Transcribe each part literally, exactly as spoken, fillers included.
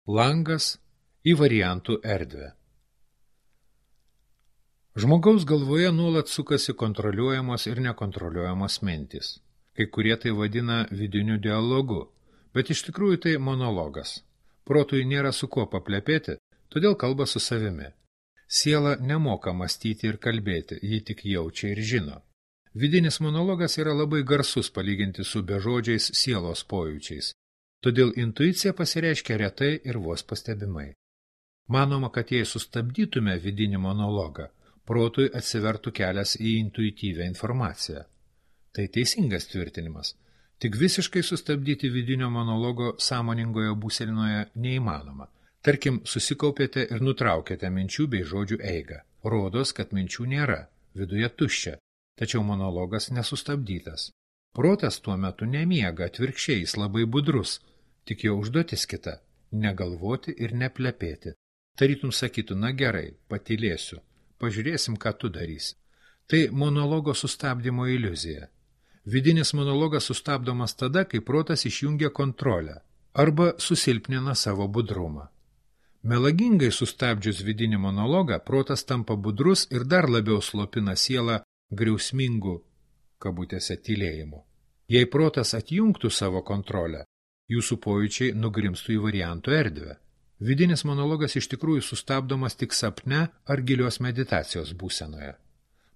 Langas į variantų erdvę. Žmogaus galvoje nuolat sukasi kontroliuojamos ir nekontroliuojamos mintys. Kai kurie tai vadina vidiniu dialogu, bet iš tikrųjų tai monologas. Protui nėra su kuo paplepėti, todėl kalba su savimi. Siela nemoka mąstyti ir kalbėti, ji tik jaučia ir žino. Vidinis monologas yra labai garsus palyginti su bežodžiais sielos pojūčiais, todėl intuicija pasireiškia retai ir vos pastebimai. Manoma, kad jei sustabdytume vidinį monologą, protui atsivertų kelias į intuityvią informaciją. Tai teisingas tvirtinimas. Tik visiškai sustabdyti vidinio monologo sąmoningoje būsenoje neįmanoma. Tarkim, susikaupėte ir nutraukėte minčių bei žodžių eigą. Rodos, kad minčių nėra, viduje tuščia, tačiau monologas nesustabdytas. Protas tuo metu nemiega, atvirkščiai jis labai budrus, tik jo užduotis kita – negalvoti ir neplepėti. Tarytum sakytų, na gerai, patylėsiu, pažiūrėsim, ką tu darysi. Tai monologo sustabdymo iliuzija. Vidinis monologas sustabdomas tada, kai protas išjungia kontrolę arba susilpnina savo budrumą. Melagingai sustabdžius vidinį monologą, protas tampa budrus ir dar labiau slopina sielą griausmingų, kabutėse, tylėjimu. Jei protas atjungtų savo kontrolę, jūsų pojūčiai nugrimstų į variantų erdvę. Vidinis monologas iš tikrųjų sustabdomas tik sapne ar gilios meditacijos būsenoje.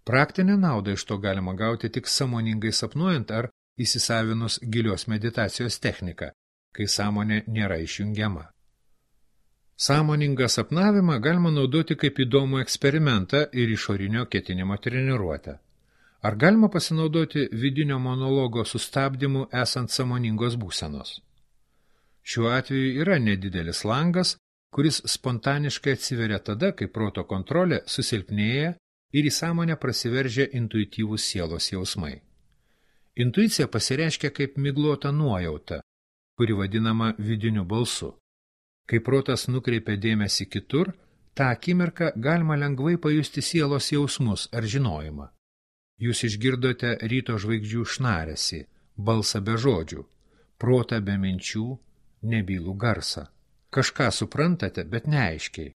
Praktinę naudą iš to galima gauti tik sąmoningai sapnuojant ar įsisavinus gilios meditacijos techniką, kai sąmonė nėra išjungiama. Sąmoningą sapnavimą galima naudoti kaip įdomų eksperimentą ir išorinio ketinimo treniruotę. Ar galima pasinaudoti vidinio monologo sustabdymu esant sąmoningos būsenos? Šiuo atveju yra nedidelis langas, kuris spontaniškai atsiveria tada, kai proto kontrolė susilpnėja ir į sąmonę prasiveržia intuityvūs sielos jausmai. Intuicija pasireiškia kaip miglota nuojauta, kuri vadinama vidiniu balsu. Kai protas nukreipia dėmesį kitur, tą akimirką galima lengvai pajusti sielos jausmus ar žinojimą. Jūs išgirdote ryto žvaigždžių šnaresį, balsą be žodžių, protą be minčių, nebylų garsą. Kažką suprantate, bet neaiškiai.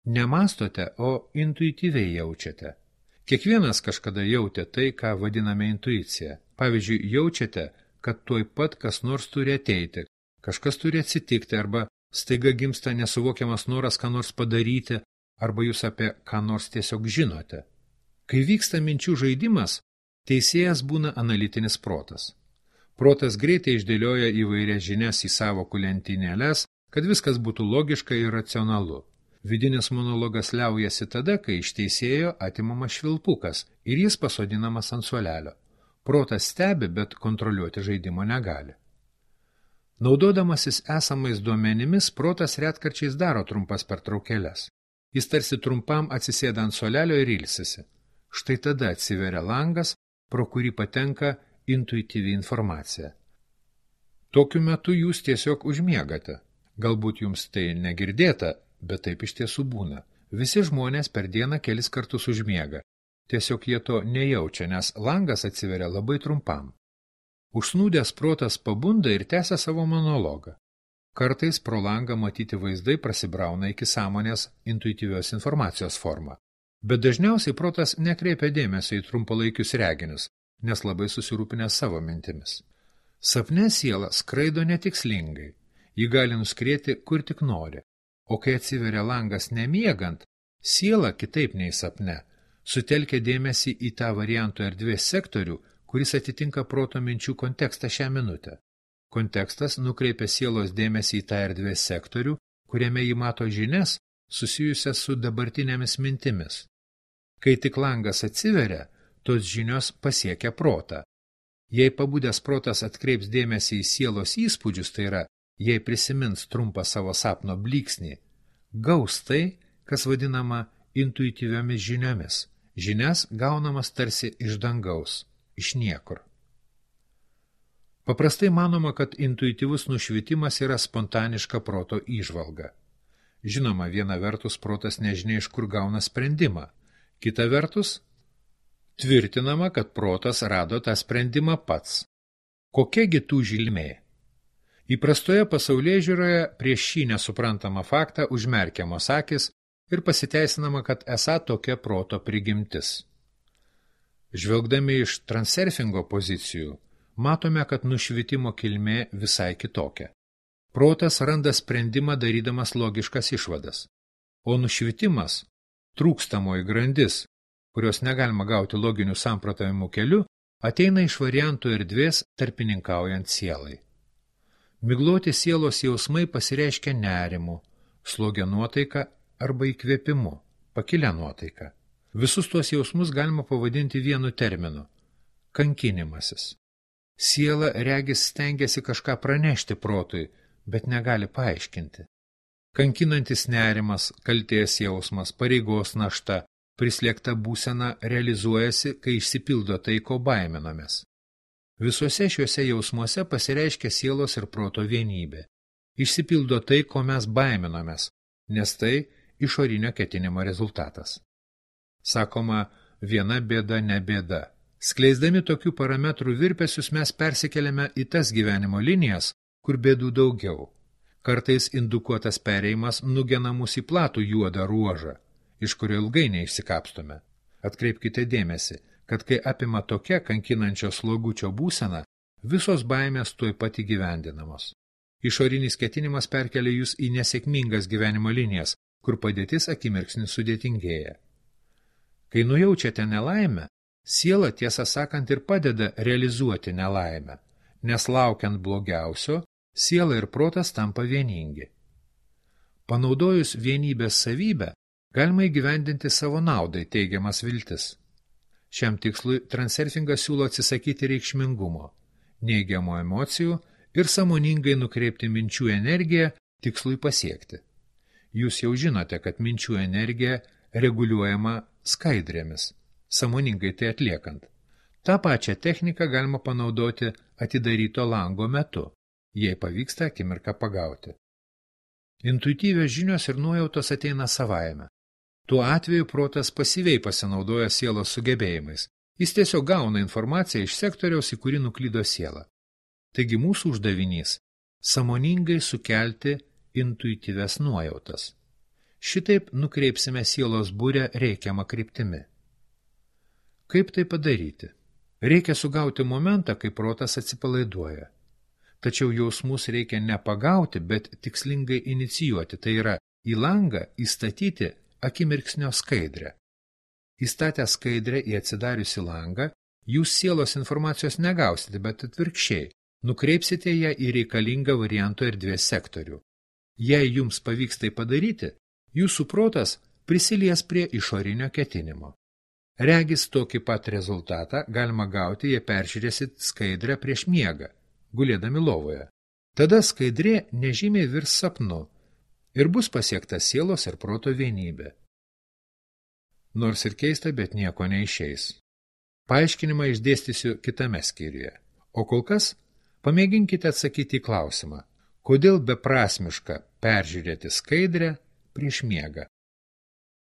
Nemastote, o intuityviai jaučiate. Kiekvienas kažkada jautė tai, ką vadiname intuicija. Pavyzdžiui, jaučiate, kad tuoj pat kas nors turi ateiti, kažkas turi atsitikti, arba staiga gimsta nesuvokiamas noras ką nors padaryti, arba jūs apie ką nors tiesiog žinote. Kai vyksta minčių žaidimas, teisėjas būna analitinis protas. Protas greitai išdėlioja įvairias žinias į sąvokų lentynėles, kad viskas būtų logiška ir racionalu. Vidinis monologas liaujasi tada, kai iš teisėjo atimamas švilpukas ir jis pasodinamas ant suolelio. Protas stebi, bet kontroliuoti žaidimo negali. Naudodamasis esamais duomenimis, protas retkarčiais daro trumpas pertraukėles. Jis tarsi trumpam atsisėda ant suolelio ir ilsisi. Štai tada atsiveria langas, pro kurį patenka intuityvi informacija. Tokiu metu jūs tiesiog užmiegate. Galbūt jums tai negirdėta, bet taip iš tiesų būna. Visi žmonės per dieną kelis kartus užmiega. Tiesiog jie to nejaučia, nes langas atsiveria labai trumpam. Užsnūdęs protas pabunda ir tęsia savo monologą. Kartais pro langą matyti vaizdai prasibrauna iki sąmonės intuityvios informacijos formą. Bet dažniausiai protas nekreipia dėmesio į trumpalaikius reginius, nes labai susirūpinęs savo mintimis. Sapne siela skraido netikslingai. Ji gali nuskrieti kur tik nori. O kai atsiveria langas nemiegant, siela kitaip nei sapne sutelkia dėmesį į tą variantų erdvės sektorių, kuris atitinka proto minčių kontekstą šią minutę. Kontekstas nukreipia sielos dėmesį į tą erdvės sektorių, kuriame ji mato žinias susijusias su dabartinėmis mintimis. Kai tik langas atsiveria, tos žinios pasiekia protą. Jei pabudęs protas atkreips dėmesį į sielos įspūdžius, tai yra, jei prisimins trumpą savo sapno blyksnį, gaus tai, kas vadinama intuityviomis žiniomis. Žinias gaunamas tarsi iš dangaus, iš niekur. Paprastai manoma, kad intuityvus nušvitimas yra spontaniška proto įžvalga. Žinoma, viena vertus protas nežinia iš kur gauna sprendimą, kita vertus tvirtinama, kad protas rado tą sprendimą pats. Kokiagi tų žilmė? Įprastoje pasaulėžiūroje prieš šį nesuprantamą faktą užmerkiamos akis ir pasiteisinama, kad esą tokia proto prigimtis. Žvelgdami iš transurfingo pozicijų, matome, kad nušvitimo kilmė visai kitokia. Protas randa sprendimą darydamas logiškas išvadas, o nušvitimas, trūkstamoji grandis, kurios negalima gauti loginių samprotavimų keliu, ateina iš variantų erdvės tarpininkaujant sielai. Migloti sielos jausmai pasireiškia nerimu, slogia nuotaika arba įkvėpimu, pakilia nuotaika. Visus tuos jausmus galima pavadinti vienu terminu – kankinimasis. Siela regis stengiasi kažką pranešti protui, bet negali paaiškinti. Kankinantis nerimas, kaltės jausmas, pareigos našta, prislėgta būsena realizuojasi, kai išsipildo tai, ko baiminamės. Visuose šiuose jausmuose pasireiškia sielos ir proto vienybė. Išsipildo tai, ko mes baiminamės, nes tai išorinio ketinimo rezultatas. Sakoma, viena bėda ne bėda. Skleisdami tokių parametrų virpesius mes persikeliame į tas gyvenimo linijas, kur bėdų daugiau. Kartais indukuotas perėjimas nugena mus į platų juodą ruožą, iš kurio ilgai neišsikapstome. Atkreipkite dėmesį, kad kai apima tokia kankinančio slogučio būsena, visos baimės tuoj pat įgyvendinamos. Išorinis ketinimas perkelia jūs į nesėkmingas gyvenimo linijas, kur padėtis akimirksnis sudėtingėja. Kai nujaučiate nelaimę, siela tiesą sakant ir padeda realizuoti nelaimę, nes laukiant blogiausio, siela ir protas tampa vieningi. Panaudojus vienybės savybę, galima įgyvendinti savo naudai teigiamas viltis. Šiam tikslui transurfingas siūlo atsisakyti reikšmingumo, neigiamų emocijų ir sąmoningai nukreipti minčių energiją tikslui pasiekti. Jūs jau žinote, kad minčių energija reguliuojama skaidrėmis, sąmoningai tai atliekant. Ta pačią techniką galima panaudoti atidaryto lango metu, jei pavyksta akimirką pagauti. Intuityvios žinios ir nuojautos ateina savaime. Tuo atveju protas pasyviai pasinaudoja sielos sugebėjimais. Jis tiesiog gauna informaciją iš sektoriaus, į kurį nuklydo siela. Taigi mūsų uždavinys – sąmoningai sukelti intuityvias nuojautas. Šitaip nukreipsime sielos burę reikiamą kryptimi. Kaip tai padaryti? Reikia sugauti momentą, kai protas atsipalaiduoja. Tačiau jausmus reikia ne pagauti, bet tikslingai inicijuoti, tai yra į langą įstatyti akimirksnio skaidrę. Įstatę skaidrę į atsidariusi langą, jūs sielos informacijos negausite, bet atvirkščiai, nukreipsite ją į reikalingą varianto erdvės sektorių. Jei jums pavyks tai padaryti, jūsų protas prisilies prie išorinio ketinimo. Regis tokį pat rezultatą galima gauti, jei peržiūrėsit skaidrę prieš miegą, gulėdami lovoje. Tada skaidrė nežymiai virs sapnu ir bus pasiekta sielos ir proto vienybė. Nors ir keista, bet nieko neišeis. Paaiškinimą išdėstysiu kitame skyriuje. O kol kas pamėginkite atsakyti į klausimą, kodėl beprasmiška peržiūrėti skaidrę prieš miegą.